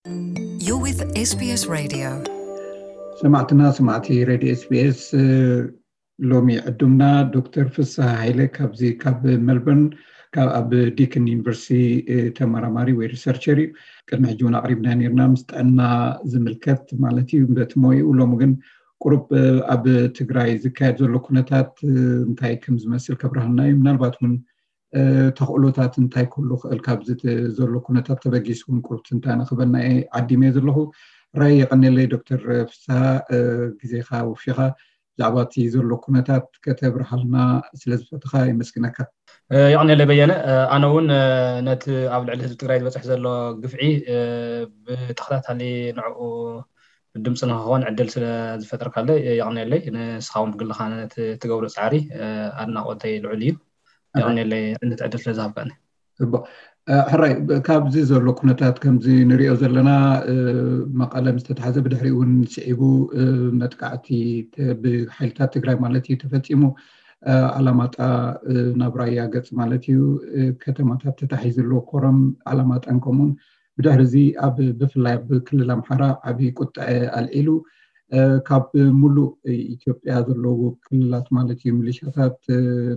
You're with S B S Radio. ሰማዕትና ሰማዕቲ ሬድዮ ኤስቢኤስ፣ ሎሚ ዕዱምና ዶክተር ፍስሐ ሃይለ ካብዚ ካብ ሜልበርን ካብ ኣብ ዲክን ዩኒቨርሲቲ ተመራማሪ ወይ ሪሰርቸር እዩ። ቅድሚ ሕጂ እውን ኣቕሪብና ነርና ምስ ጥዕና ዝምልከት ማለት እዩ በቲ ሞይኡ። ሎሚ ግን ቁሩብ ኣብ ትግራይ ዝካየድ ዘሎ ኩነታት እንታይ ከም ዝመስል ከብርሃልና እዩ። ምናልባት እውን ተኽእሎታት እንታይ ክህሉ ክእል ካብዚ ዘሎ ኩነታት ተበጊሱ እውን ቁሩብ ትንታነ ክበልና እየ ዓዲመ ዘለኹ። ራይ የቐኔለይ ዶክተር ፍስሃ፣ ግዜኻ ወፊኻ ብዛዕባ እቲ ዘሎ ኩነታት ከተብርሃልና ስለ ዝፈትኻ የመስግነካ። የቐኔለይ በየነ። ኣነ እውን ነቲ ኣብ ልዕሊ ህዝቢ ትግራይ ዝበፅሕ ዘሎ ግፍዒ ብተኸታታሊ ንዕኡ ድምፂ ንክኸውን ዕድል ስለ ዝፈጠርካለይ የቐኔለይ። ንስኻ እውን ብግልኻ ነቲ ትገብሮ ፃዕሪ ኣድናቆተይ ልዑል እዩ። የቐኔለይ ነቲ ዕድል ስለ ዝሃብካኒ። ሕራይ፣ ካብዚ ዘሎ ኩነታት ከምዚ ንሪኦ ዘለና፣ መቐለ ዝተታሕዘ፣ ብድሕሪኡ እውን ስዒቡ መጥቃዕቲ ብሓይልታት ትግራይ ማለት እዩ ተፈፂሙ። ኣላማጣ ናብ ራያ ገፅ ማለት እዩ፣ ከተማታት ተታሒዙ ኣሎ፣ ኮረም፣ ኣላማጣን ከምኡውን ብድሕሪ እዚ ኣብ ብፍላይ ኣብ ክልል ኣምሓራ ዓብዪ ቁጥዐ ኣልዒሉ ካብ ሙሉእ ኢትዮጵያ ዘለዉ ክልላት ማለት እዩ ሚሊሻታት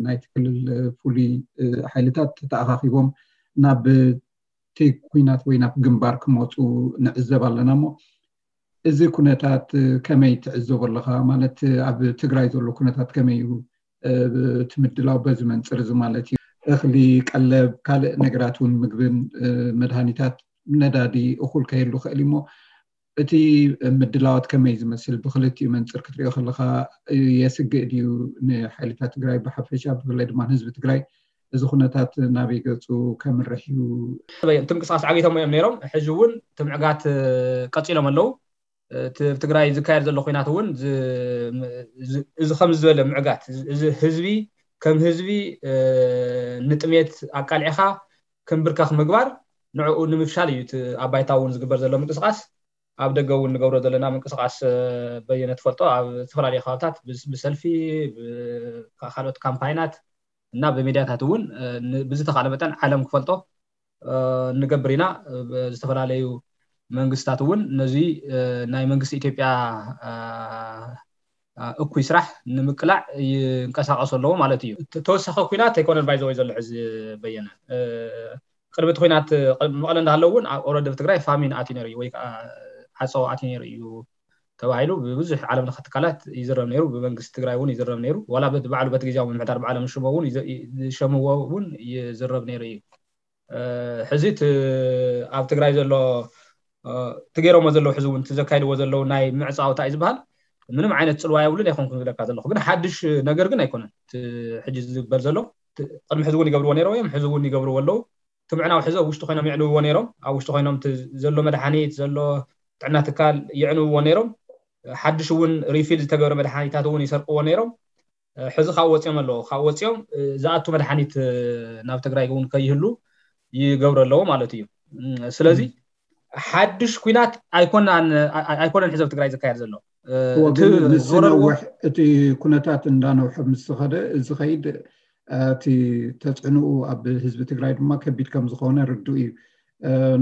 ናይቲ ክልል ፍሉይ ሓይልታት ተተኣኻኺቦም ናብ እቲ ኩናት ወይ ናብ ግንባር ክመፁ ንዕዘብ ኣለና። እሞ እዚ ኩነታት ከመይ ትዕዘቦ ኣለኻ? ማለት ኣብ ትግራይ ዘሎ ኩነታት ከመይ እዩ እቲ ምድላው በዚ መንፅር እዚ ማለት እዩ? እኽሊ፣ ቀለብ፣ ካልእ ነገራት እውን ምግብን መድሃኒታት፣ ነዳዲ እኹል ከየሉ ክእል እሞ እቲ ምድላዋት ከመይ ዝመስል ብክልቲኡ መንፅር ክትሪኦ ከለካ የስግእ ድዩ ንሓይልታት ትግራይ ብሓፈሻ ብፍላይ ድማ ንህዝቢ ትግራይ እዚ ኩነታት ናበይ ገፁ ከምርሕ እዩ? እቲ ምንቅስቃስ ዓጊቶሞ እዮም ነይሮም። ሕዚ እውን እቲ ምዕጋት ቀፂሎም ኣለዉ። እቲ ትግራይ ዝካየድ ዘሎ ኩናት እውን እዚ ከም ዝበለ ምዕጋት እዚ ህዝቢ ከም ህዝቢ ንጥሜት ኣቃልዕኻ ክምብርከኽ ምግባር ንዕኡ ንምፍሻል እዩ እቲ ኣብ ባይታ እውን ዝግበር ዘሎ ምንቅስቃስ። ኣብ ደገ እውን ንገብሮ ዘለና ምንቅስቃስ በየነ ትፈልጦ ኣብ ዝተፈላለዩ ከባብታት ብሰልፊ ካልኦት ካምፓይናት እና ብሚድያታት እውን ብዝተኻለ መጠን ዓለም ክፈልጦ ንገብር ኢና። ዝተፈላለዩ መንግስታት እውን ነዚ ናይ መንግስቲ ኢትዮጵያ እኩይ ስራሕ ንምቅላዕ ይንቀሳቀሱ ኣለዎ ማለት እዩ። ተወሳኺ ኩናት ኣይኮነን ባይዘወይ ዘሎ ሕዚ በየነ። ቅድሚ እቲ ኩናት መቐለ እንዳሃለዉ እውን ኦረዲ ኣብ ትግራይ ፋሚን ኣትዩ ነይሩ እዩ ወይ ከዓ ዓፀቦ ኣትዩ ነይሩ እዩ ተባሂሉ ብብዙሕ ዓለም ለኸ ትካላት ይዝረብ ነይሩ። ብመንግስቲ ትግራይ እውን ይዝረብ ነይሩ። ዋላ በቲ ባዕሉ በቲ ግዜያዊ ምምሕዳር ብዓለም ሽሞ እውን ዝሸምዎ እውን ይዝረብ ነይሩ እዩ። ሕዚ እቲ ኣብ ትግራይ ዘሎ እቲ ገይሮሞ ዘለዉ ሕዚ እውን እቲ ዘካይድዎ ዘለዉ ናይ ምዕፃው እንታይ እዩ ዝበሃል ምንም ዓይነት ፅልዋ የብሉን ኣይኮንኩን ዝብለካ ዘለኹ። ግን ሓድሽ ነገር ግን ኣይኮነን። ሕጂ ዝግበር ዘሎ ቅድሚ ሕዚ እውን ይገብርዎ ነይረው እዮም፣ ሕዚ እውን ይገብርዎ ኣለዉ። እቲ ምዕናው ሕዚ ኣብ ውሽጢ ኮይኖም የዕንውዎ ነይሮም። ኣብ ውሽጢ ኮይኖም ዘሎ መድሓኒት ዘሎ ጥዕና ትካል የዕንውዎ ነይሮም። ሓድሽ እውን ሪፊል ዝተገብረ መድሓኒታት እውን ይሰርቅዎ ነይሮም። ሕዚ ካብ ወፂኦም ኣለዎ ካብ ወፂኦም ዝኣቱ መድሓኒት ናብ ትግራይ እውን ከይህሉ ይገብሩ ኣለዎ ማለት እዩ። ስለዚ ሓድሽ ኩናት ኣይኮናን ኣይኮነን ሕዚ ኣብ ትግራይ ዝካየድ ዘሎ። ንዝነውሕ እቲ ኩነታት እንዳነውሐ ምስ ዝኸደ ዝኸይድ እቲ ተፅዕንኡ ኣብ ህዝቢ ትግራይ ድማ ከቢድ ከም ዝኾነ ርዱእ እዩ።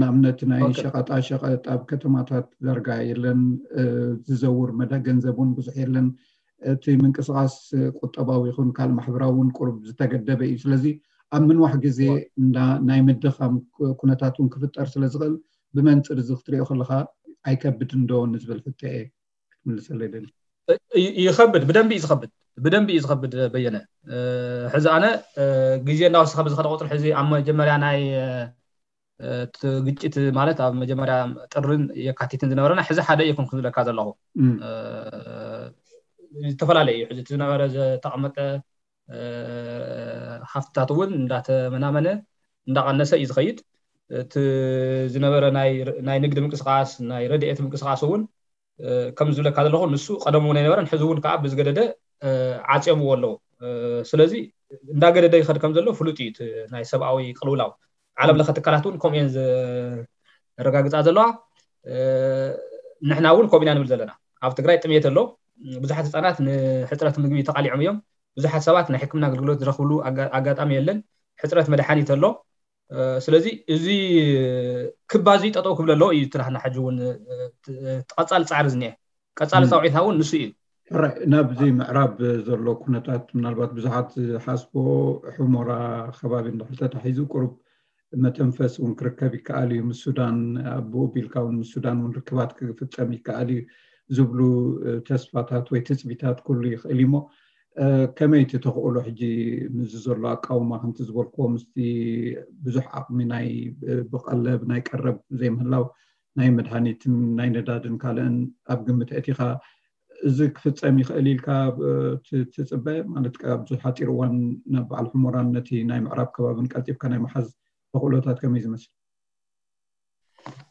ንኣብነት ናይ ሸቐጣ ሸቐጥ ኣብ ከተማታት ዳርጋ የለን፣ ዝዘውር መዳ ገንዘብ እውን ብዙሕ የለን። እቲ ምንቅስቃስ ቁጠባዊ ይኹን ካልእ ማሕበራዊ እውን ቁሩብ ዝተገደበ እዩ። ስለዚ ኣብ ምንዋሕ ግዜ ናይ ምድኻም ኩነታት እውን ክፍጠር ስለ ዝኽእል ብመንፅር እዚ ክትሪኦ ከለካ ኣይከብድን ዶ ንዝብል ሕቶ እየ ክትምልሰለይ ደሊ። ይኸብድ፣ ብደንቢ እዩ ዝኸብድ፣ ብደንቢ እዩ ዝኸብድ በየነ። ሕዚ ኣነ ግዜ እናወሰኸ ብዝኸደ ቁፅሪ ሕዚ ኣብ መጀመርያ ናይ እቲ ግጭት ማለት ኣብ መጀመርያ ጥርን የካቲትን ዝነበረና ሕዚ ሓደ እየ ኮንኩ ዝብለካ ዘለኹ። ዝተፈላለዩ እዩ ሕዚ እቲ ዝነበረ ዝተቐመጠ ሃፍትታት እውን እንዳተመናመነ እንዳቐነሰ እዩ ዝኸይድ። እቲ ዝነበረ ናይ ንግዲ ምንቅስቃስ ናይ ረድኤት ምንቅስቃስ እውን ከም ዝብለካ ዘለኹ ንሱ ቀደም እውን ኣይነበረን ሕዚ እውን ከዓ ብዝገደደ ዓፅዮምዎ ኣለዉ። ስለዚ እንዳገደደ ይኸድ ከም ዘሎ ፍሉጥ እዩ። ናይ ሰብኣዊ ቅልውላው ዓለም ለኸ ትካላት እውን ከምኡ እየን ዘረጋግፃ ዘለዋ። ንሕና እውን ከምኡ ኢና ንብል ዘለና። ኣብ ትግራይ ጥሜት ኣሎ። ብዙሓት ህፃናት ንሕፅረት ምግቢ ተቃሊዖም እዮም። ብዙሓት ሰባት ናይ ሕክምና ኣገልግሎት ዝረኽብሉ ኣጋጣሚ የለን። ሕፅረት መድሓኒት ኣሎ። ስለዚ እዚ ክባዚ ጠጠው ክብለሎ እዩ ትራህና ሕጂ እውን ቀፃሊ ፃዕሪ ዝኒኤ ቀፃሊ ፃውዒትና እውን ንሱ እዩ። ናብዚ ምዕራብ ዘሎ ኩነታት ምናልባት ብዙሓት ዝሓስቦ ሕሞራ ከባቢ እንድሕር ተታሒዙ ቁሩብ መተንፈስ እውን ክርከብ ይከኣል እዩ። ምስ ሱዳን ኣብኡ ቢልካ እውን ምስ ሱዳን እውን ርክባት ክፍፀም ይከኣል እዩ ዝብሉ ተስፋታት ወይ ትፅቢታት ኩሉ ይኽእል እዩሞ ከመይ እቲ ተኽእሎ ሕጂ ምስዚ ዘሎ ኣቃውማ ከምቲ ዝበልክዎ ምስቲ ብዙሕ ዓቕሚ ናይ ብቀለብ ናይ ቀረብ ዘይምህላው ናይ መድሃኒትን ናይ ነዳድን ካልእን ኣብ ግምት ኣእቲኻ እዚ ክፍፀም ይኽእል ኢልካ ትፅበ ማለት ኣብዚ ሓፂር እዋን ናብ በዓል ሕሞራን ነቲ ናይ ምዕራብ ከባብን ቀልጢፍካ ናይ መሓዝ ተኽእሎታት ከመይ ዝመስል?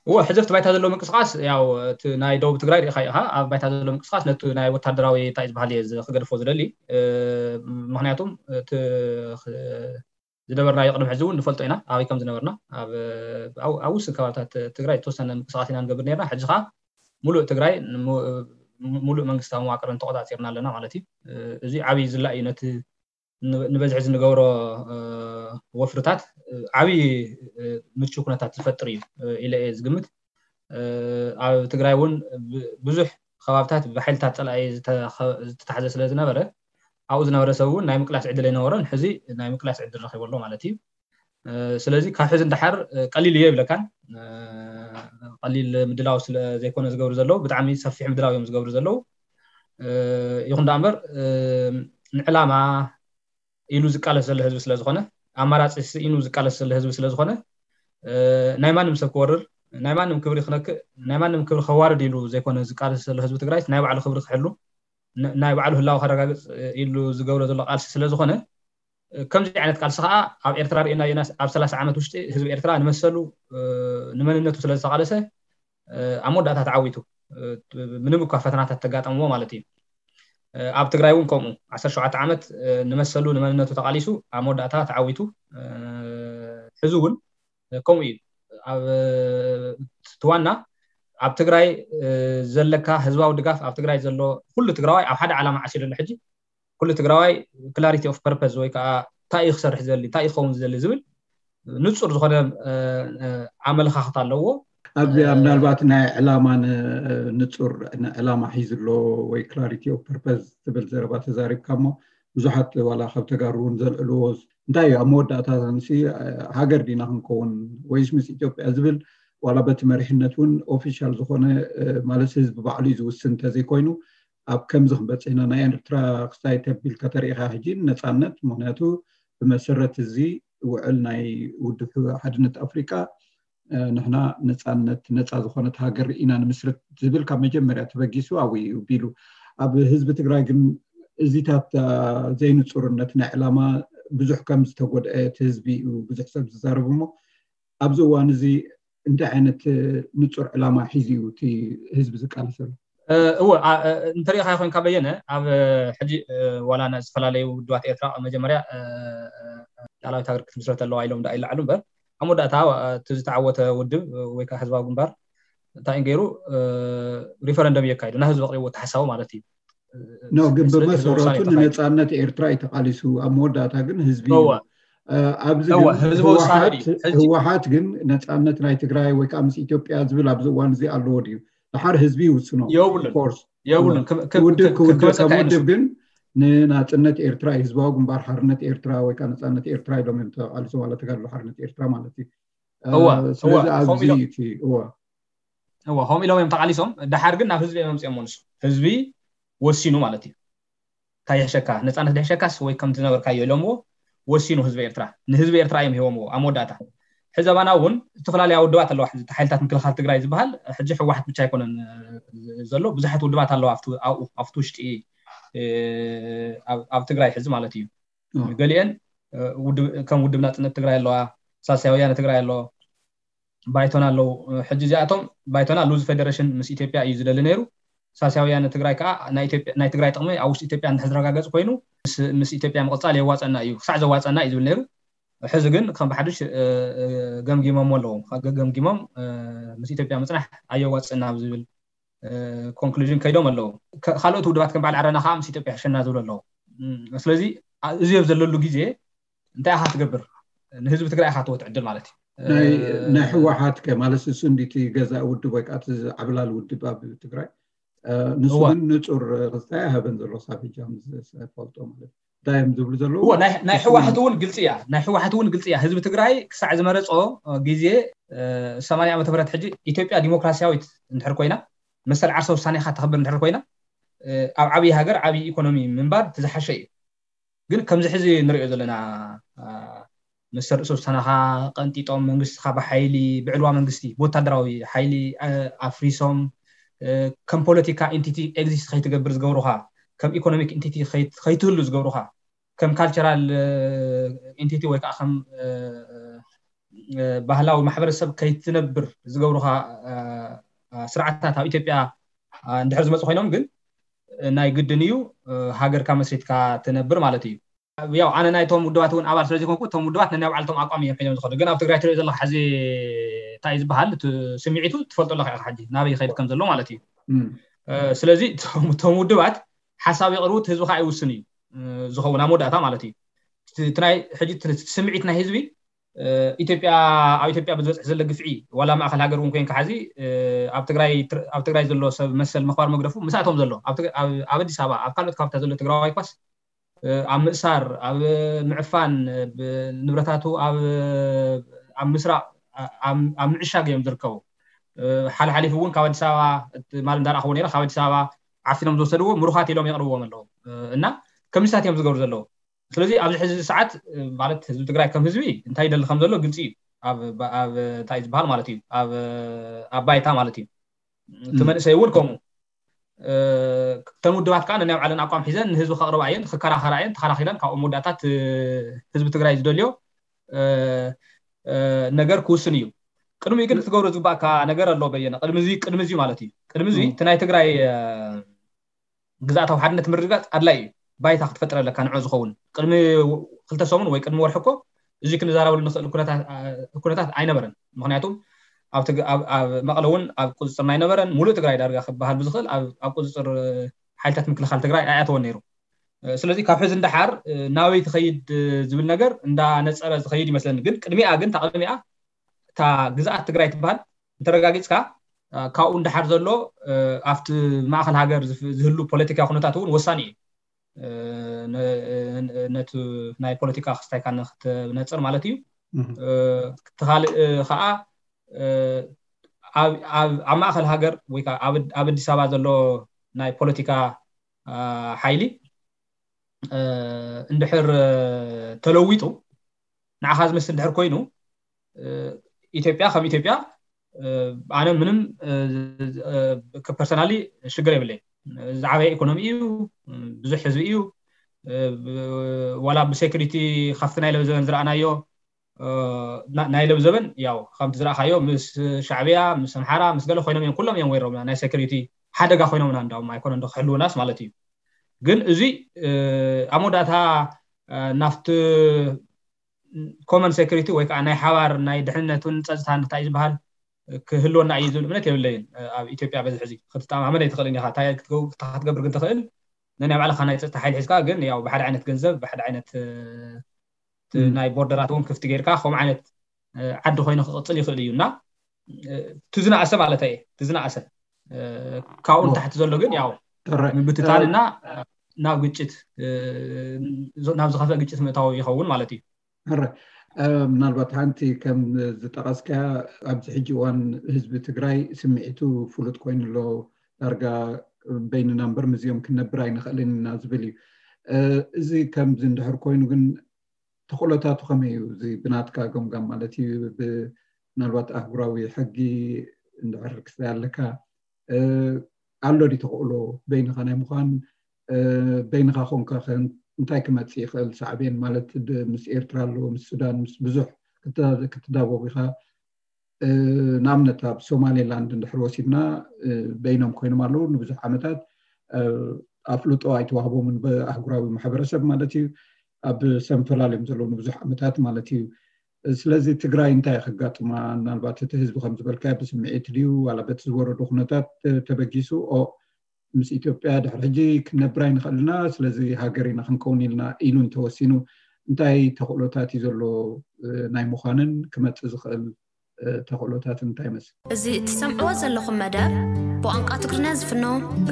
እወ ሕዚ ኣብቲ ባይታ ዘሎ ምንቅስቃስ ያው እቲ ናይ ደቡብ ትግራይ ርኢኻ ኢኻ። ኣብ ባይታ ዘሎ ምንቅስቃስ ነቲ ናይ ወታደራዊ እንታይ ዝበሃል እየ ክገድፎ ዝደሊ። ምክንያቱም እቲ ዝነበርናዮ ቅድሚ ሕዚ እውን ንፈልጦ ኢና ኣበይ ከም ዝነበርና። ኣብ ውስን ከባብታት ትግራይ ዝተወሰነ ምንቅስቃስ ኢና ንገብር ነርና። ሕዚ ከዓ ሙሉእ ትግራይ ሙሉእ መንግስታዊ መዋቅርን ተቆፃፂርና ኣለና ማለት እዩ። እዚ ዓብይ ዝላ እዩ ነቲ ንበዝሒ ዝንገብሮ ወፍርታት ዓብዪ ምቹ ኩነታት ዝፈጥር እዩ ኢለ እየ ዝግምት። ኣብ ትግራይ እውን ብዙሕ ከባብታት ብሓይልታት ፀላኢ ዝተታሕዘ ስለ ዝነበረ ኣብኡ ዝነበረ ሰብ እውን ናይ ምቅላስ ዕድል ኣይነበሮን። ሕዚ ናይ ምቅላስ ዕድል ረኪቡ ኣሎ ማለት እዩ። ስለዚ ካብ ሕዚ እንዳሓር ቀሊል እዮ ይብለካን። ቀሊል ምድላው ስለ ዘይኮነ ዝገብሩ ዘለዉ ብጣዕሚ ሰፊሕ ምድላው እዮም ዝገብሩ ዘለዉ። ይኹን ዳ እምበር ንዕላማ ኢሉ ዝቃለስ ዘሎ ህዝቢ ስለዝኾነ ኣማራፂ ስኢኑ ዝቃለስ ዘሎ ህዝቢ ስለዝኾነ ናይ ማንም ሰብ ክወርር ናይ ማንም ክብሪ ክነክእ ናይ ማንም ክብሪ ከዋርድ ኢሉ ዘይኮነ ዝቃለስ ዘሎ ህዝቢ ትግራይ ናይ ባዕሉ ክብሪ ክሕሉ ናይ ባዕሉ ህላዊ ከረጋግፅ ኢሉ ዝገብሮ ዘሎ ቃልሲ ስለዝኾነ ከምዚ ዓይነት ቃልሲ ከዓ ኣብ ኤርትራ ርኢና ኣብ ሰላሳ ዓመት ውሽጢ ህዝቢ ኤርትራ ንመሰሉ ንመንነቱ ስለዝተቃለሰ ኣብ መወዳእታ ተዓዊቱ ምንም እኳ ፈተናታት ተጋጠምዎ ማለት እዩ። ኣብ ትግራይ እውን ከምኡ ዓሰርተ ሸውዓተ ዓመት ንመሰሉ ንመንነቱ ተቃሊሱ ኣብ መወዳእታ ተዓዊቱ ሕዚ እውን ከምኡ እዩ። ትዋና ኣብ ትግራይ ዘለካ ህዝባዊ ድጋፍ ኣብ ትግራይ ዘሎ ኩሉ ትግራዋይ ኣብ ሓደ ዓላማ ዓሲሉ ኣሎ ሕጂ ኩሉ ትግራዋይ clarity of purpose ወይ ከዓ እንታይ እዩ ክሰርሕ ዝደሊ እንታይ እዩ ክኸውን ዝደሊ ዝብል ንፁር ዝኾነ ኣመለካክታ ኣለዎ። ኣብዚኣ ምናልባት ናይ ዕላማ ንፁር ዕላማ ሒዙ ኣሎ ወይ clarity of purpose ትብል ዘረባ ተዛሪብካ እሞ ብዙሓት ዋላ ካብ ተጋሩ እውን ዘልዕልዎ እንታይ እዩ ኣብ መወዳእታ ንሲ ሃገር ዲና ክንከውን ወይስ ምስ ኢትዮጵያ ዝብል ዋላ በቲ መሪሕነት እውን ኦፊሻል ዝኾነ ማለት ህዝቢ ባዕሉ እዩ ዝውስን እንተዘይኮይኑ ኣብ ከምዚ ክንበፅሕ ኢና ናይ ኤርትራ ክስታይ ተቢል ከተርእኻ ሕጂ ነፃነት ምክንያቱ ብመሰረት እዚ ውዕል ናይ ውድብ ሓድነት ኣፍሪቃ ንሕና ነፃነት ነፃ ዝኾነት ሃገር ኢና ንምስርት ዝብል ካብ መጀመርያ ተበጊሱ ኣብኡ እዩ ቢሉ ኣብ ህዝቢ ትግራይ ግን እዚታት ዘይንፁርነት ናይ ዕላማ ብዙሕ ከም ዝተጎድአ እቲ ህዝቢ እዩ ብዙሕ ሰብ ዝዛረብ እሞ ኣብዚ እዋን እዚ እንታይ ዓይነት ንፁር ዕላማ ሒዙ እዩ እቲ ህዝቢ ዝቃለሰሉ? እወ እንተሪኢኻ ኮይንካ በየነ ኣብ ሕጂ ዋላ ና ዝተፈላለዩ ውድባት ኤርትራ መጀመርያ ላዕላዊት ሃገር ክትምስረት ኣለዋ ኢሎም ዳ ይለዓሉ እምበር ኣብ መወዳእታ እቲ ዝተዓወተ ውድብ ወይ ከዓ ህዝባዊ ግንባር እንታይ ገይሩ ሪፈረንደም እየካይዱ ናብ ህዝቢ ኣቅሪቡ ተሓሳቡ ማለት እዩ። ኖ ግን ብመሰረቱ ንነፃነት ኤርትራ እዩ ተቃሊሱ ኣብ መወዳእታ ግን ህዝቢ ኣብዚ ህወሓት ግን ነፃነት ናይ ትግራይ ወይ ከዓ ምስ ኢትዮጵያ ዝብል ኣብዚ እዋን እዚ ኣለዎ ድዩ? ድሓር ህዝቢ ይውስኖ። የብሉን። ውድብ ክውድብ ከም ውድብ ግን ንናፅነት ኤርትራ ህዝባዊ ግንባር ሓርነት ኤርትራ ወይ ከዓ ነፃነት ኤርትራ ኢሎም እዮም ተቃሊሶም ዋላ ተጋድሎ ሓርነት ኤርትራ ማለት እዩ። ስለዚ ኣብዚ እቲ እወ እወ ከምኡ ኢሎም እዮም ተቃሊሶም። ድሓር ግን ናብ ህዝቢ እዮም ኣምፅኦም ንሱ ህዝቢ ወሲኑ ማለት እዩ። እንታይ ይሕሸካ ነፃነት ድሕሸካስ ወይ ከም ዝነበርካዮ ኢሎምዎ ወሲኑ ህዝቢ ኤርትራ ንህዝቢ ኤርትራ እዮም ሂቦምዎ ኣብ መወዳእታ። ሕዚ ኣባና እውን ዝተፈላለዩ ውድባት ኣለዋ። ሕዚ ሓይልታት ምክልኻል ትግራይ ዝበሃል ሕጂ ህወሓት ብቻ ኣይኮነን ዘሎ ብዙሓት ውድባት ኣለዋ ኣብቲ ውሽጢ ኣብ ትግራይ ሕዚ ማለት እዩ። ገሊአን ከም ውድብ ናፅነት ትግራይ ኣለዋ፣ ሳልሳይ ወያነ ትግራይ ኣለዎ፣ ባይቶና ኣለዉ። ሕጂ እዚኣቶም ባይቶና ሉዝ ፌደሬሽን ምስ ኢትዮጵያ እዩ ዝደሊ ነይሩ። ሳልሳይ ወያነ ትግራይ ከዓ ናይ ትግራይ ጥቕሚ ኣብ ውሽጢ ኢትዮጵያ እንድሕር ዝረጋገፅ ኮይኑ ምስ ኢትዮጵያ ምቕፃል የዋፀና እዩ ክሳዕ ዘዋፀና እዩ ዝብል ነይሩ። ሕዚ ግን ከም ብሓዱሽ ገምጊሞም ኣለዉ። ገምጊሞም ምስ ኢትዮጵያ ምፅናሕ ኣየዋፅና ዝብል ኮንክሉዥን ከይዶም ኣለዉ። ካልኦት ውድባት ከም በዓል ዓረና ከዓ ምስ ኢትዮጵያ ሕሸና ዝብሉ ኣለዉ። ስለዚ እዚ ኣብ ዘለሉ ግዜ እንታይ ኢኻ ትገብር? ንህዝቢ ትግራይ ኢኻ ትወት ዕድል ማለት እዩ። ናይ ህወሓት ከ ማለት እሱ እንዲቲ ገዛእ ውድብ ወይ ከዓ ዓብላል ውድብ ኣብ ትግራይ ንሱ ግን ንፁር ክስታይ ኣይሃበን ዘሎ ክሳብ ሕጂ ዝፈልጦ ማለት እንታይ እዮም ዝብሉ ዘለዉ። ናይ ህወሓት እውን ግልፂ እያ ናይ ህወሓት እውን ግልፂ እያ። ህዝቢ ትግራይ ክሳዕ ዝመረፆ ግዜ ሰማንያ ዓመተ ምህረት ሕጂ ኢትዮጵያ ዲሞክራሲያዊት እንድሕር ኮይና መሰል ዓርሰ ውሳኔኻ ተኽብር እንድሕር ኮይና ኣብ ዓብዪ ሃገር ዓብዪ ኢኮኖሚ ምንባር ትዝሓሸ እዩ። ግን ከምዚ ሕዚ ንሪኦ ዘለና መሰል ርእሰ ውሳነኻ ቀንጢጦም መንግስትኻ ብሓይሊ ብዕልዋ መንግስቲ ብወታደራዊ ሓይሊ ኣፍሪሶም ከም ፖለቲካ ኢንቲቲ ኤግዚስት ከይትገብር ዝገብሩኻ ከም ኢኮኖሚክ ኢንቲቲ ከይትህሉ ዝገብሩኻ ከም ካልቸራል ኢንቲቲ ወይ ከዓ ከም ባህላዊ ማሕበረሰብ ከይትነብር ዝገብሩኻ ስርዓታት ኣብ ኢትዮጵያ እንድሕር ዝመፁ ኮይኖም ግን ናይ ግድን እዩ ሃገርካ መስሪትካ ትነብር ማለት እዩ። ያው ኣነ ናይቶም ውድባት እውን ኣባል ስለዘይኮንኩ እቶም ውድባት ነናይ ባዕልቶም ኣቋም እዮም ሒዞም ዝኸዱ። ግን ኣብ ትግራይ ትሪኦ ዘለካ ሕዚ እንታይ ዝበሃል ስምዒቱ ትፈልጦ ኣለካ ኢኻ ሕጂ ናበይ ይኸይድ ከም ዘሎ ማለት እዩ። ስለዚ እቶም ውድባት ሓሳብ የቕርቡ፣ ህዝቢ ከዓ ይውስን እዩ ዝኸውን ኣብ መወዳእታ ማለት እዩ። እቲ ናይ ሕጂ ስምዒት ናይ ህዝቢ ኢትዮጵያ ኣብ ኢትዮጵያ ብዝበፅሕ ዘሎ ግፍዒ ዋላ ማእኸል ሃገር እውን ኮይንካ ሓዚ ኣብ ትግራይ ዘሎ ሰብ መሰል ምኽባር መግደፉ ምስኣቶም ዘሎ ኣብ ኣዲስ ኣበባ ኣብ ካልኦት ከባብታት ዘሎ ትግራዋይ ኳስ ኣብ ምእሳር ኣብ ምዕፋን ንብረታቱ ኣብ ምስራቕ ኣብ ምዕሻግ እዮም ዝርከቡ። ሓልሓሊፉ እውን ካብ ኣዲስ ኣበባ ማል እንዳረኣኽዎ ነረ ካብ ኣዲስ ኣበባ ዓፊኖም ዝወሰድዎ ምሩኻት ኢሎም የቕርብዎም ኣለዉ እና ከምዚታት እዮም ዝገብሩ ዘለዉ። ስለዚ ኣብዚ ሕዚ ሰዓት ማለት ህዝቢ ትግራይ ከም ህዝቢ እንታይ ይደሊ ከም ዘሎ ግልፂ እዩ። ኣብ እንታይ ዝበሃል ማለት እዩ ኣብ ባይታ ማለት እዩ። እቲ መንእሰይ እውን ከምኡ እተን ውድባት ከዓ ነናይ ባዕለን ኣቋም ሒዘን ንህዝቢ ከቕርባ እየን ክከራኸራ እየን ተኸራኺረን ካብኡ መወዳእታት ህዝቢ ትግራይ ዝደልዮ ነገር ክውስን እዩ። ቅድሚኡ ግን ክትገብሮ ዝግባእካ ነገር ኣሎ በየነ ቅድሚ ቅድሚ ማለት እዩ ቅድሚ እቲ ናይ ትግራይ ግዝኣታዊ ሓድነት ምርግጋፅ ኣድላይ እዩ። ባይታ ክትፈጥረ ኣለካ ንዑ ዝኸውን ቅድሚ ክልተ ሰሙን ወይ ቅድሚ ወርሒ እኮ እዚ ክንዛረበሉ ንኽእል ኩነታት ኣይነበረን። ምክንያቱም ኣብ መቐለ እውን ኣብ ቁፅፅር ኣይነበረን። ሙሉእ ትግራይ ዳርጋ ክበሃል ብዝኽእል ኣብ ቁፅፅር ሓይልታት ምክልኻል ትግራይ ኣይኣተወን ነይሩ። ስለዚ ካብ ሕዚ እንዳሓር ናበይ ትኸይድ ዝብል ነገር እንዳነፀረ ዝኸይድ ይመስለኒ። ግን ቅድሚኣ ግን እታ ቅድሚኣ እታ ግዝኣት ትግራይ ትበሃል እንተረጋጊፅካ ካብኡ እንዳሓር ዘሎ ኣብቲ ማእኸል ሃገር ዝህሉ ፖለቲካዊ ኩነታት እውን ወሳኒ እዩ። ነቲ ናይ ፖለቲካ ክስታይካ ንክትነፅር ማለት እዩ። እቲ ካልእ ከዓ ኣብ ማእኸል ሃገር ወይ ከዓ ኣብ ኣዲስ ኣበባ ዘሎ ናይ ፖለቲካ ሓይሊ እንድሕር ተለዊጡ ንዓኻ ዝመስል እንድሕር ኮይኑ ኢትዮጵያ ከም ኢትዮጵያ ኣነ ምንም ፐርሰናሊ ሽግር የብለይ። ዝዓበየ ኢኮኖሚ እዩ፣ ብዙሕ ህዝቢ እዩ። ዋላ ብሴኩሪቲ ካብቲ ናይ ለብዘበን ዝረኣናዮ ናይ ለብዘበን ያው ከምቲ ዝረኣኻዮ ምስ ሻዕብያ ምስ ኣምሓራ ምስ ገለ ኮይኖም እዮም ኩሎም እዮም ወይሮምና ናይ ሴኩሪቲ ሓደጋ ኮይኖምና እንዳውም ኣይኮነ እንዶ ክሕልውናስ ማለት እዩ። ግን እዚ ኣብ መወዳእታ ናፍቲ ኮመን ሴኩሪቲ ወይ ከዓ ናይ ሓባር ናይ ድሕንነትን ፀፅታን እንታይ ዝበሃል ክህልወና እዩ ዝብል እምነት የብለይን። ኣብ ኢትዮጵያ በዚ ሕዚ ክትተኣማመን ኣይትኽእልን ኢኻ። እንታይ ክትገብር ግን ትኽእል ነናይ ባዕልኻ ናይ ፀጥታ ሓይሊ ሒዝካ ግን ያው ብሓደ ዓይነት ገንዘብ ብሓደ ዓይነት ናይ ቦርደራት እውን ክፍቲ ጌርካ ከምኡ ዓይነት ዓዲ ኮይኑ ክቕፅል ይኽእል እዩ እና ትዝናእሰ ማለት እየ ትዝናእሰ ካብኡ ንታሕቲ ዘሎ ግን ያው ምብትታን እና ናብ ግጭት ናብ ዝኸፍአ ግጭት ምእታው ይኸውን ማለት እዩ። ሕረ ምናልባት ሓንቲ ከም ዝጠቐስካ ኣብዚ ሕጂ እዋን ህዝቢ ትግራይ ስምዒቱ ፍሉጥ ኮይኑ ኣሎ። ዳርጋ በይንና እምበር ምስዚኦም ክንነብር ኣይንኽእልን ኢና ዝብል እዩ። እዚ ከምዚ እንድሕር ኮይኑ ግን ተኽእሎታቱ ከመይ እዩ? እዚ ብናትካ ገምጋም ማለት እዩ። ምናልባት ኣህጉራዊ ሕጊ እንድሕር ክስታይ ኣለካ ኣሎ ዲ ተኽእሎ በይንኻ ናይ ምዃን በይንኻ ኮንካ እንታይ ክመፅእ ይኽእል? ሳዕቤን ማለት ምስ ኤርትራ ኣሎ ምስ ሱዳን ምስ ብዙሕ ክትዳቦብ ኢኻ። ንኣብነት ኣብ ሶማሌላንድ እንድሕር ወሲድና በይኖም ኮይኖም ኣለዉ ንብዙሕ ዓመታት ኣፍልጦ ኣይተዋህቦምን ብኣህጉራዊ ማሕበረሰብ ማለት እዩ። ኣብ ሰንፈላል እዮም ዘለዉ ንብዙሕ ዓመታት ማለት እዩ። ስለዚ ትግራይ እንታይ ከጋጥማ ምናልባት እቲ ህዝቢ ከም ዝበልካዮ ብስምዒት ድዩ ዋላ በቲ ዝወረዶ ኩነታት ተበጊሱ ኦ ምስ ኢትዮጵያ ድሕሪ ሕጂ ክንነብር ኣይንኽእል ኢና ስለዚ ሃገር ኢና ክንከውን ኢልና ኢሉ እንተወሲኑ እንታይ ተኽእሎታት እዩ ዘሎ ናይ ምዃንን ክመፅእ ዝኽእል ተኽእሎታት እንታይ ይመስል? እዚ እትሰምዕዎ ዘለኹም መደብ ብቋንቋ ትግርኛ ዝፍኖ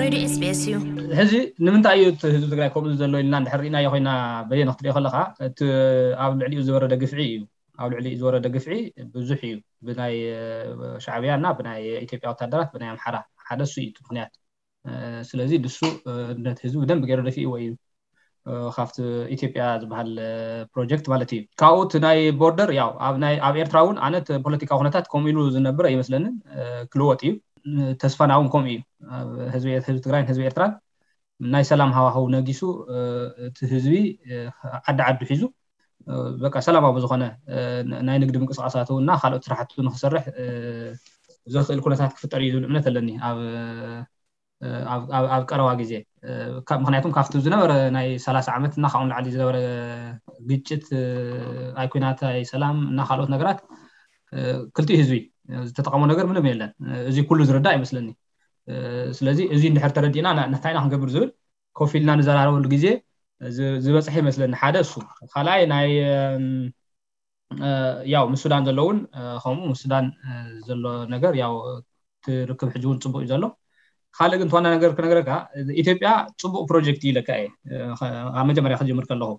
ሬድዮ ኤስቢኤስ እዩ። ሕዚ ንምንታይ እዩ እቲ ህዝቢ ትግራይ ከምኡ ዘሎ ኢልና እንድሕር ርኢናዮ ኮይና በየነ ክትሪኦ ከለካ እቲ ኣብ ልዕሊኡ ዝወረደ ግፍዒ እዩ። ኣብ ልዕሊኡ ዝወረደ ግፍዒ ብዙሕ እዩ። ብናይ ሻዕብያ እና ብናይ ኢትዮጵያ ወታደራት ብናይ ኣምሓራ ሓደ እሱ እዩ እቲ ምክንያት። ስለዚ ንሱ ነቲ ህዝቢ ብደንብ ገይሩ ደፊእዎ እዩ። ካብቲ ኢትዮጵያ ዝበሃል ፕሮጀክት ማለት እዩ። ካብኡ እቲ ናይ ቦርደር ያው ኣብ ኤርትራ እውን ኣነ ፖለቲካዊ ኩነታት ከምኡ ኢሉ ዝነብር ኣይመስለንን። ክልወጥ እዩ። ተስፋና እውን ከምኡ እዩ። ህዝቢ ትግራይን ህዝቢ ኤርትራን ናይ ሰላም ሃዋህው ነጊሱ እቲ ህዝቢ ዓዲ ዓዱ ሒዙ በቃ ሰላማዊ ዝኾነ ናይ ንግዲ ምንቅስቃሳቱ እና ካልኦት ስራሕቱ ንክሰርሕ ዘኽእል ኩነታት ክፍጠር እዩ ዝብል እምነት ኣለኒ ኣብ ቀረባ ግዜ። ምክንያቱም ካብቲ ዝነበረ ናይ ሰላሳ ዓመት እና ካብኡ ንላዕሊ ዝነበረ ግጭት ኣይኩናት ኣይሰላም እና ካልኦት ነገራት ክልቲኡ ህዝቢ ዝተጠቀሞ ነገር ምንም የለን። እዚ ኩሉ ዝርዳእ ይመስለኒ። ስለዚ እዚ እንድሕር ተረዲእና እንታይ ኢና ክንገብር ዝብል ኮፍ ኢልና ንዘራረበሉ ግዜ ዝበፅሐ ይመስለኒ። ሓደ እሱ ካልኣይ ናይ ያው ምስ ሱዳን ዘለውን ከምኡ ምስ ሱዳን ዘሎ ነገር ያው ትርክብ ሕጂ እውን ፅቡቅ እዩ ዘሎ። ካልእ ግን ተዋና ነገር ክነገረካ ኢትዮጵያ ፅቡቅ ፕሮጀክት ኢለካ እየ ኣብ መጀመርያ ክጅምር ከለኹ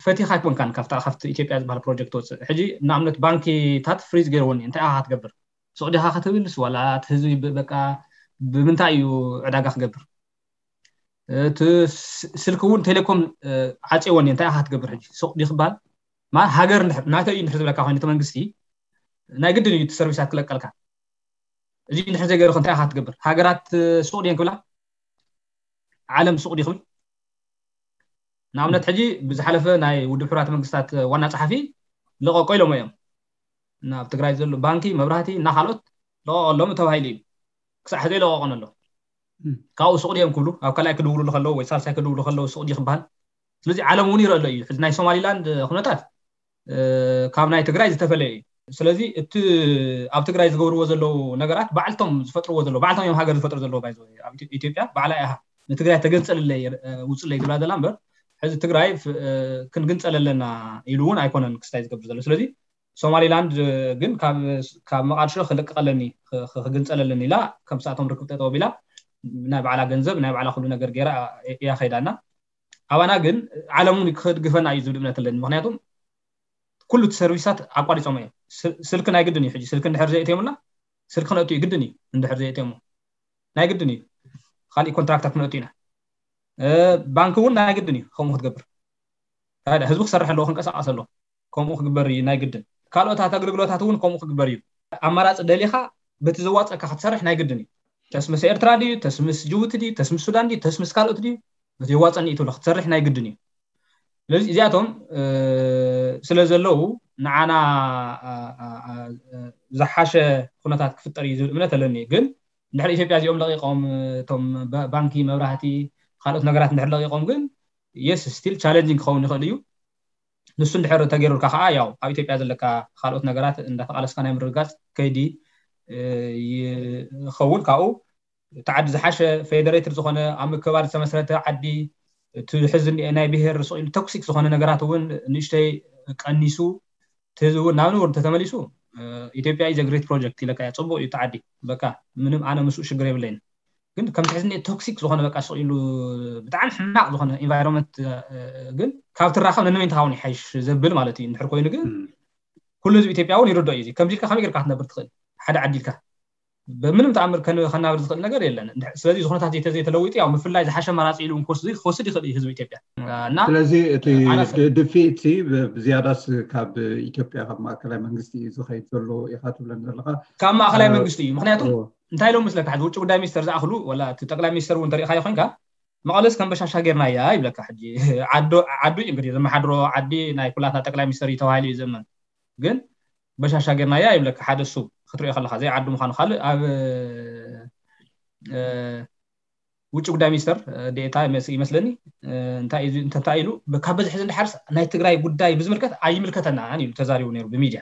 ፈቲኻ ኣይኮንካን ካብታ ካብቲ ኢትዮጵያ ዝበሃል ፕሮጀክት ወፅእ። ሕጂ ንኣብነት ባንኪታት ፍሪዝ ገይርዎን እንታይ ኢኻ ክትገብር? ሱቕ ዲኻ ክትብልስ ዋላ እቲ ህዝቢ በቃ ብምንታይ እዩ ዕዳጋ ክገብር? እቲ ስልኪ እውን ቴሌኮም ዓፅዎን እንታይ ኢኻ ክትገብር? ሕጂ ሱቕ ዲ ክበሃል ማለት ሃገር ናተይ እዩ እንድሕር ዝብለካ ኮይኑ እቲ መንግስቲ ናይ ግድን እዩ እቲ ሰርቪሳት ክለቀልካ። እዚ እንድሕር ዘይገርክ እንታይ ኢኻ ክትገብር? ሃገራት ሱቕ ድየን ክብላ? ዓለም ሱቕ ዲ ክብል? ንኣብነት ሕጂ ብዝሓለፈ ናይ ውድብ ሕቡራት መንግስታት ዋና ፀሓፊ ልቐቆ ኢሎሞ እዮም። ናብ ትግራይ ዘሎ ባንኪ መብራህቲ እና ካልኦት ልቐቆሎም ተባሂሉ እዩ። ክሳዕ ሕዚ ኣይለቐቆን ኣሎ። ካብኡ ሱቕ ድዮም ክብሉ ኣብ ካልኣይ ክድውሉ ከለዉ ወይ ሳልሳይ ክድውሉ ከለዉ ሱቕ ዲ ክበሃል? ስለዚ ዓለም እውን ይረአ ኣሎ እዩ። ሕዚ ናይ ሶማሊላንድ ኩነታት ካብ ናይ ትግራይ ዝተፈለየ እዩ። ስለዚ እቲ ኣብ ትግራይ ዝገብርዎ ዘለዉ ነገራት ባዕልቶም ዝፈጥርዎ ዘለዉ ባዕልቶም እዮም ሃገር ዝፈጥሩ ዘለዉ ባይ ኢትዮጵያ ባዕላ እያ ንትግራይ ተገንፀልለይ ውፅለይ ዝብላ ዘላ እምበር ሕዚ ትግራይ ክንግንፀል ኣለና ኢሉ እውን ኣይኮነን ክስታይ ዝገብር ዘሎ። ስለዚ ሶማሊላንድ ግን ካብ መቃድሾ ክልቅቀለኒ ክግንፀለለኒ ኢላ ከም ሰኣቶም ርክብ ጠጠው ቢላ ናይ ባዕላ ገንዘብ ናይ ባዕላ ኩሉ ነገር ገይራ እያ ከይዳና። ኣባና ግን ዓለም እውን ክድግፈና እዩ ዝብል እምነት ኣለኒ። ምክንያቱም ኩሉ እቲ ሰርቪሳት ኣቋሪፆም እዮም። ስልኪ ናይ ግድን እዩ። ሕጂ ስልኪ እንድሕር ዘየእትዮምና ስልኪ ክነእቱ እዩ ግድን እዩ። እንድሕር ዘየእትዮሞ ናይ ግድን እዩ። ካሊእ ኮንትራክታት ክነእቱ ኢና። ባንኪ እውን ናይ ግድን እዩ ከምኡ ክትገብር። ህዝቢ ክሰርሕ ኣለዎ ክንቀሳቀስ ኣለዎ። ከምኡ ክግበር እዩ ናይ ግድን። ካልኦታት ኣገልግሎታት እውን ከምኡ ክግበር እዩ። ኣማራፂ ደሊኻ በቲ ዘዋፀካ ክትሰርሕ ናይ ግድን እዩ። ተስምስ ኤርትራ ድዩ ተስምስ ጅቡቲ ድዩ ተስምስ ሱዳን ድዩ ተስምስ ካልኦት ድዩ በቲ የዋፀኒ እዩ ክትሰርሕ ናይ ግድን እዩ። ስለዚ እዚኣቶም ስለ ዘለዉ ንዓና ዝሓሸ ኩነታት ክፍጠር እዩ ዝብል እምነት ኣለኒ። ግን እንድሕር ኢትዮጵያ እዚኦም ለቂቆም እቶም ባንኪ መብራህቲ ካልኦት ነገራት እንድሕር ለቂቆም ግን yes still challenging ክኸውን ይኽእል እዩ። ንሱ እንድሕር ተገይሩልካ ከዓ ያው ኣብ ኢትዮጵያ ዘለካ ካልኦት ነገራት እንዳተቃለስካ ናይ ምርግጋፅ ከይዲ ይኸውን። ካብኡ እቲ ዓዲ ዝሓሸ federated ዝኾነ ኣብ ምክባር ዝተመስረተ ዓዲ እቲ ሕዚ ናይ ብሄር ስቕ ኢሉ toxic ዝኾነ ነገራት እውን ንእሽተይ ቀኒሱ እቲ ህዝቢ እውን ናብ ንቡር እንተተመሊሱ ኢትዮጵያ is a great project ኢለካ እየ። ፅቡቅ እዩ እቲ ዓዲ በቃ ምንም ኣነ ምስኡ ሽግር የብለይን። ግን ከምቲ ሕዚ toxic ዝኾነ በቃ ስቕ ኢሉ ብጣዕሚ ሕማቅ ዝኾነ environment ግን ካብ ትራኸብ ነንመን ትኸውን ይሓይሽ ዘብል ማለት እዩ። እንድሕር ኮይኑ ግን ኩሉ ህዝቢ ኢትዮጵያ እውን ይርዶ እዩ። ከምዚ ኢልካ ከመይ ጌርካ ክትነብር ትኽእል ሓደ ዓዲ ኢልካ ብምንም ተኣምር ከናብር ዝኽእል ነገር የለን። ስለዚ ዝኾነታት ዘይተለዊጡ ያው ምፍላይ ዝሓሸ መራፂ ኢሉ ክወስድ ይኽእል ህዝቢ ኢትዮጵያ። እና ስለዚ እቲ ድፊት ብዝያዳስ ካብ ኢትዮጵያ ካብ ማእከላይ መንግስቲ እዩ ዝኸይድ ዘሎ ኢኻ ትብለን ዘለካ። ካብ ማእከላይ መንግስቲ እዩ። ምክንያቱ እንታይ ኢሎም ምስለካ ሕዚ ውጭ ጉዳይ ሚኒስተር ዝኣኽሉ ወላ እቲ ጠቅላይ ሚኒስተር እውን ተሪኢኻዮ ኮይንካ መቐለስ ከም በሻሻ ጌርናያ ይብለካ። ሕጂ ዓዱ እዩ እንግዲህ ዘመሓድሮ ዓዲ ናይ ኩላትና ጠቅላይ ሚኒስተር እዩ ተባሂሉ እዩ ዝእመን። ግን በሻሻ ጌርናያ ይብለካ ሓደ እሱ ክትሪኦ ከለካ ዘይዓዱ ምዃኑ። ካልእ ኣብ ውጭ ጉዳይ ሚኒስተር ዴኤታ ይመስለኒ እንታይ ኢሉ ካብ በዚ ሕዚ እንድሓርስ ናይ ትግራይ ጉዳይ ብዝምልከት ኣይምልከተናን ኢሉ ተዛሪቡ ነይሩ ብሚድያ።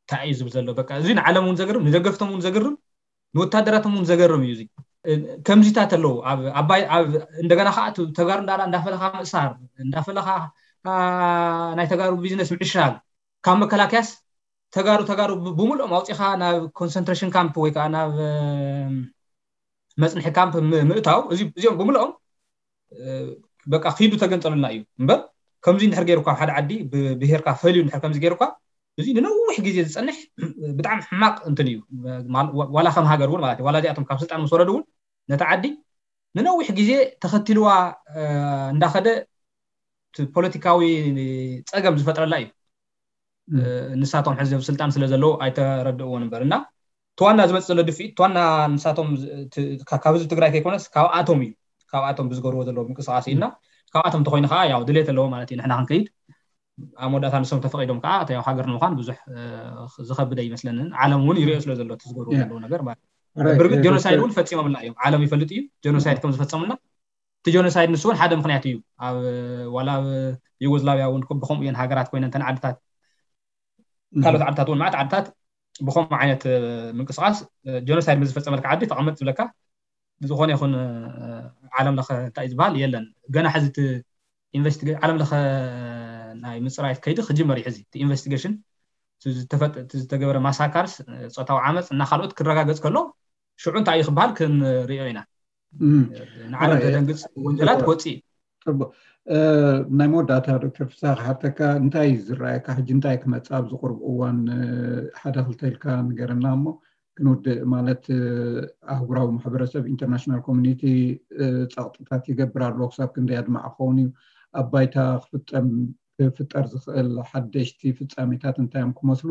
እንታይ እዩ ዝብል ዘሎ በቃ እዚ ንዓለም እውን ዘገርም ንደገፍቶም እውን ዘገርም ንወታደራቶም እውን ዘገርም እዩ። እዚ ከምዚታት ኣለዉ ኣብ ኣባይ ኣብ እንደገና ከዓ ተጋሩ እንዳላ እንዳፈለኻ ምእሳር እንዳፈለኻ ናይ ተጋሩ ቢዝነስ ምዕሻግ፣ ካብ መከላከያስ ተጋሩ ተጋሩ ብምልኦም ኣውፂኻ ናብ ኮንሰንትሬሽን ካምፕ ወይ ከዓ ናብ መፅንሒ ካምፕ ምእታው፣ እዚኦም ብምልኦም በቃ ኪዱ ተገንፀሉና እዩ እምበር፣ ከምዚ እንድሕር ገይሩካ ሓደ ዓዲ ብብሄርካ ፈልዩ እንድሕር ከምዚ ገይሩካ፣ እዚ ንነዊሕ ግዜ ዝፀንሕ ብጣዕሚ ሕማቅ እንትን እዩ። ዋላ ከም ሃገር እውን ማለት እዩ፣ ዋላ እዚኣቶም ካብ ስልጣን ምስ ወረዱ እውን ነቲ ዓዲ ንነዊሕ ግዜ ተኸቲልዋ እንዳኸደ ፖለቲካዊ ፀገም ዝፈጥረላ እዩ። ንሳቶም ሕዚ ኣብ ስልጣን ስለ ዘለዉ ኣይተረድእዎን እምበር እና፣ ተዋና ዝመፅእ ዘሎ ድፍኢት፣ ተዋና ንሳቶም ካብዚ ትግራይ ከይኮነስ ካብኣቶም እዩ፣ ካብኣቶም ብዝገብርዎ ዘለዉ ምንቅስቃስ እዩ እና፣ ካብኣቶም እንተኮይኑ ከዓ ያው ድሌት ኣለዎ ማለት እዩ ንሕና ክንከይድ። ኣብ መወዳእታ ንሶም ተፈቂዶም ከዓ ያው ሃገር ንምዃን ብዙሕ ዝኸብድ ኣይመስለንን። ዓለም እውን ይሪኦ ስለ ዘሎ እቲ ዝገብርዎ ዘለዉ ነገር ማለት እዩ። ብርግጥ ጀኖሳይድ እውን ፈፂሞምልና እዮም፣ ዓለም ይፈልጥ እዩ ጀኖሳይድ ከም ዝፈፀሙልና። እቲ ጀኖሳይድ ንሱ እውን ሓደ ምክንያት እዩ። ኣብ ዋላ ኣብ ዩጎዝላቪያ እውን ብከምኡ እየን ሃገራት ኮይነን፣ እተን ዓድታት ካልኦት ዓድታት እውን ማዕት ዓድታት ብከምኡ ዓይነት ምንቅስቃስ ጀኖሳይድ ምስ ዝፈፀመልካ ዓዲ ተቐመጥ ዝብለካ ዝኾነ ይኹን ዓለም ለኸ እንታይ ዝበሃል የለን። ገና ሕዚ እቲ ኢንቨስቲጌ ዓለም ለኸ ናይ ምፅራይ ከይዲ ክጅመር እዩ። ሕዚ እቲ ኢንቨስቲጌሽን ዝተገበረ ማሳካርስ፣ ፆታዊ ዓመፅ እና ካልኦት ክረጋገፅ ከሎ ሽዑ እንታይ እዩ ክበሃል ክንሪኦ ኢና። ንዓለም ተደንግፅ ወንጀላት ክወፅእ እዩ። ናይ መወዳእታ ዶክተር ፍስሃ ክሓተካ፣ እንታይ እዩ ዝረኣየካ ሕጂ እንታይ ክመፅእ ኣብዚ ቁርብ እዋን ሓደ ክልተ ኢልካ ንገረና እሞ ክንውድእ። ማለት ኣህጉራዊ ማሕበረሰብ ኢንተርናሽናል ኮሚኒቲ ፀቕጥታት ይገብር ኣሎ። ክሳብ ክንደይ ኣድማዕ ክኸውን እዩ? ኣብ ባይታ ክፍጠም ክፍጠር ዝኽእል ሓደሽቲ ፍፃሜታት እንታይ እዮም ክመስሉ?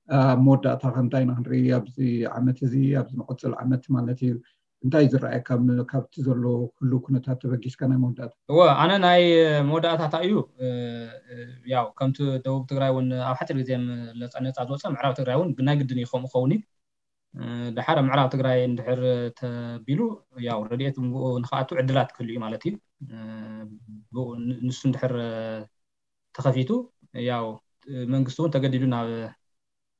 ኣብ መወዳእታ ከ እንታይ ኢና ክንርኢ ኣብዚ ዓመት እዚ፣ ኣብዚ ንቐፅል ዓመት ማለት እዩ? እንታይ ዝረኣየካ ካብቲ ዘሎ ህሉው ኩነታት ተበጊስካ ናይ መወዳእታ? እወ፣ ኣነ ናይ መወዳእታ እንታይ እዩ፣ ያው ከምቲ ደቡብ ትግራይ እውን ኣብ ሓፂር ግዜ ነፃ ዝወፀ፣ ምዕራብ ትግራይ እውን ናይ ግድን እዩ ከምኡ ክኸውን እዩ። ድሓር ኣብ ምዕራብ ትግራይ እንድሕር ተቢሉ ያው ረድኤት ንክኣቱ ዕድላት ክህሉ እዩ ማለት እዩ። ንሱ እንድሕር ተኸፊቱ ያው መንግስቲ እውን ተገዲዱ ናብ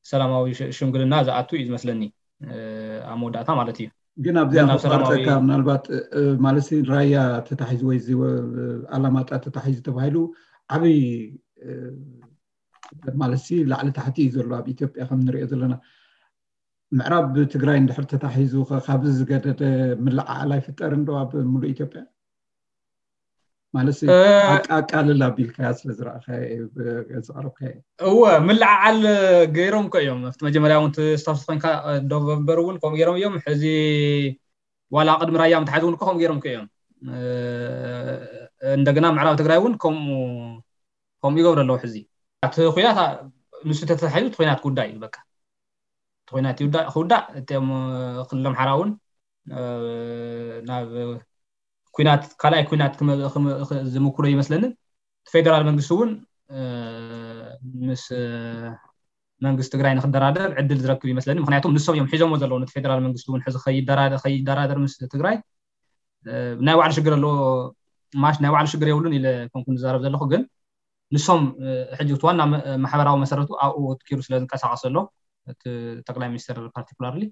ሰላማዊ ሽምግልና ዝኣቱ እዩ ዝመስለኒ ኣብ መወዳእታ ማለት እዩ። ግን ኣብዚኣ ክቋርፀካ ምናልባት ማለት ራያ ተታሒዙ ወይ ኣላማጣ ተታሒዙ ተባሂሉ ዓብይ ማለት ላዕሊ ታሕቲ እዩ ዘሎ ኣብ ኢትዮጵያ ከም ንሪኦ ዘለና። ምዕራብ ትግራይ እንድሕር ተታሒዙ ካብዚ ዝገደደ ምልዓዓል ኣይፍጠርን ዶ ኣብ ሙሉእ ኢትዮጵያ? ማለት ኣቃልል ኣቢልካያ ስለ ዝረኣኻዮ ዘቕረብካዮ። እወ፣ ምልዓዓል ገይሮም እኮ እዮም ኣብቲ መጀመርያ እውን ስታፍስ ኮይንካ ዶቨበር እውን ከምኡ ገይሮም እዮም። ሕዚ ዋላ ቅድሚ ራያ ምትሓዝ እውን እኮ ከምኡ ገይሮም እኮ እዮም። እንደገና ምዕራብ ትግራይ እውን ከምኡ ከምኡ ይገብሩ ኣለዉ። ሕዚ እቲ ኩናት ንሱ ተተታሒዙ እቲ ኩናት ክውዳእ እዩ በቃ። እቲ ኩናት ይውዳእ ክውዳእ እቲኦም ክልሎም ሓራ እውን ናብ ኩናት ካልኣይ ኩናት ዝምኩሮ ይመስለንን። እቲ ፌደራል መንግስቲ እውን ምስ መንግስቲ ትግራይ ንክደራደር ዕድል ዝረክብ ይመስለኒ። ምክንያቱም ንሶም እዮም ሒዞሞ ዘለዉ ነቲ ፌደራል መንግስቲ እውን ሕዚ ከይደራደር ምስ ትግራይ ናይ ባዕሉ ሽግር ኣለዎ። ማሽ ናይ ባዕሉ ሽግር የብሉን ኢለ ኮንኩ ዝዛረብ ዘለኹ፣ ግን ንሶም ሕጂ እቲ ዋና ማሕበራዊ መሰረቱ ኣብኡ ትኪሩ ስለ ዝንቀሳቀስ ዘሎ እቲ ጠቅላይ ሚኒስትር ፓርቲኩላርሊ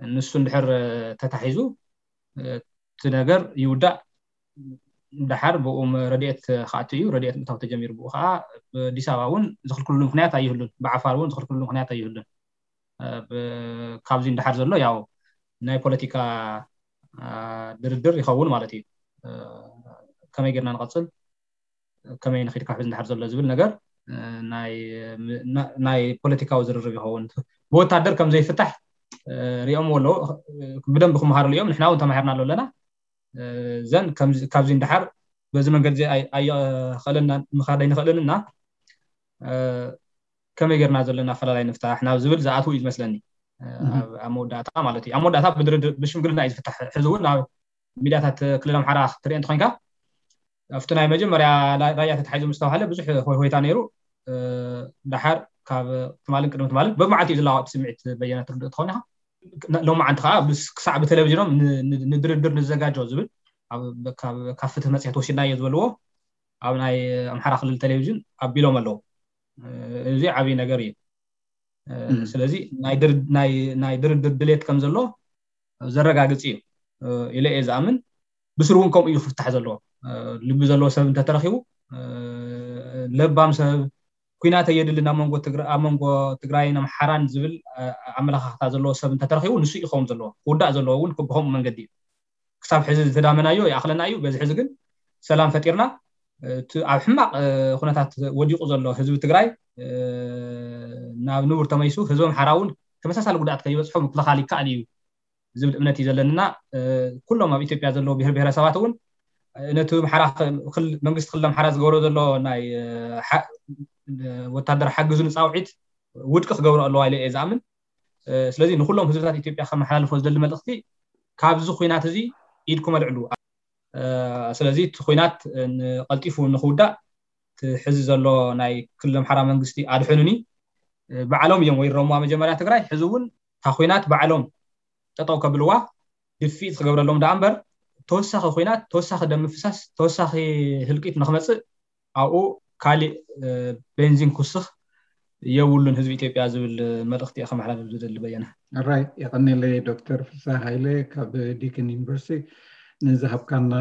ንሱ እንድሕር ተታሒዙ እቲ ነገር ይውዳእ። ደሓር ብኡ ረድኤት ክኣቱ እዩ። ረድኤት ምእታው ተጀሚሩ ብኡ ከዓ ብኣዲስ ኣበባ እውን ዝኽልክልሉ ምክንያት ኣይህሉን። ብዓፋር እውን ዝኽልክልሉ ምክንያት ኣይህሉን። ካብዚ ንደሓር ዘሎ ያው ናይ ፖለቲካ ድርድር ይኸውን ማለት እዩ። ከመይ ጌርና ንቐፅል፣ ከመይ ንኺድ ካብ ሕዚ ንደሓር ዘሎ ዝብል ነገር ናይ ፖለቲካዊ ዝርርብ ይኸውን። ብወታደር ከም ዘይፍታሕ ሪኦምዎ ኣለዉ። ብደንቢ ክመሃርሉ እዮም። ንሕና እውን ተማሂርና ኣለና። ዘን ካብዚ ንደሓር በዚ መንገዲ ኣየኸለና ምኻድ ኣይንኽእልን እና ከመይ ጌርና ዘለና ኣፈላላይ ንፍታሕ ናብ ዝብል ዝኣትው እዩ ዝመስለኒ። ኣብ መወዳእታ ማለት እዩ። ኣብ መወዳእታ ብሽምግልና እዩ ዝፍታሕ። ሕዚ እውን ኣብ ሚድያታት ክልል ኣምሓራ ክትርኢ እንተኮንካ ኣብቲ ናይ መጀመርያ ራያ ተታሒዙ ምስ ተባሃለ ብዙሕ ሆይታ ነይሩ። ደሓር ካብ ትማልን ቅድሚ ትማልን በብመዓልቲ እዩ ዝለዋወጥ ስምዒት በየነ ትርድእ ትኸውን ኢኻ። ሎማዓንቲ ከዓ ክሳዕ ብቴሌቪዥኖም ንድርድር ንዘጋጆ ዝብል ካብ ፍትህ መፅሄት ወሲድናዮ ዝበልዎ ኣብ ናይ ኣምሓራ ክልል ቴሌቪዥን ኣቢሎም ኣለዉ። እዚ ዓብዪ ነገር እዩ። ስለዚ ናይ ድርድር ድሌት ከም ዘሎ ዘረጋግፅ እዩ ኢለ እየ ዝኣምን። ብስሩ እውን ከምኡ እዩ ክፍታሕ ዘለዎ። ልቢ ዘለዎ ሰብ እንተተረኪቡ ለባም ሰብ፣ ኩናት የድልን ኣብ መንጎ ትግራይን ኣምሓራን ዝብል ኣመለኻኽታ ዘለዎ ሰብ እንተተረኺቡ ንሱ ይኸውን ዘለዎ ክውዳእ ዘለዎ እውን ብከምኡ መንገዲ እዩ። ክሳብ ሕዚ ዝተዳመናዮ ይኣኽለና እዩ። በዚ ሕዚ ግን ሰላም ፈጢርና ኣብ ሕማቕ ኩነታት ወዲቑ ዘሎ ህዝቢ ትግራይ ናብ ንቡር ተመይሱ ህዝቢ ኣምሓራ እውን ተመሳሳሊ ጉድኣት ከይበፅሖ ምክልኻል ይከኣል እዩ ዝብል እምነት እዩ ዘለንና። ኩሎም ኣብ ኢትዮጵያ ዘለዉ ብሄር ብሄረሰባት እውን ነቲ ኣምሓራ መንግስቲ ክልል ኣምሓራ ዝገብሮ ዘሎ ናይ ወታደር ሓግዙ ንፃውዒት ውድቂ ክገብሮ ኣለዋ ኢለ እየ ዝኣምን። ስለዚ ንኩሎም ህዝብታት ኢትዮጵያ ከመሓላልፎ ዝደሊ መልእኽቲ ካብዚ ኩናት እዚ ኢድኩም ኣልዕሉ። ስለዚ እቲ ኩናት ቀልጢፉ ንክውዳእ እቲ ሕዚ ዘሎ ናይ ክልል ኣምሓራ መንግስቲ ኣድሕኑኒ ባዕሎም እዮም ወሪሮምዋ መጀመርያ ትግራይ። ሕዚ እውን እታ ኩናት ባዕሎም ጠጠው ከብልዋ ድፍኢት ክገብረሎም ደኣ እምበር ተወሳኺ ኩናት፣ ተወሳኺ ደም ምፍሳስ፣ ተወሳኺ ህልቂት ንክመፅእ ኣብኡ ካሊእ ቤንዚን ክውስኽ የብሉን ህዝቢ ኢትዮጵያ ዝብል መልእኽቲ እየ ከመሓላልፍ ዝደሊ። በየነ። ራይ የቐኔለይ ዶክተር ፍስሃ ሃይለ ካብ ዲክን ዩኒቨርሲቲ ንዝሃብካና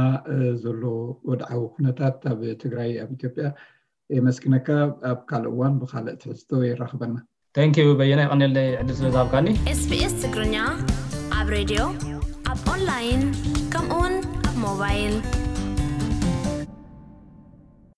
ዘሎ ወድዓዊ ኩነታት ኣብ ትግራይ ኣብ ኢትዮጵያ የመስግነካ። ኣብ ካልእ እዋን ብካልእ ትሕዝቶ የራኽበና። Thank you በየነ፣ የቐኔለይ ዕድል ስለ ዝሃብካኒ። SBS ትግርኛ ኣብ ሬድዮ ኣብ ኦንላይን ከምኡውን ኣብ ሞባይል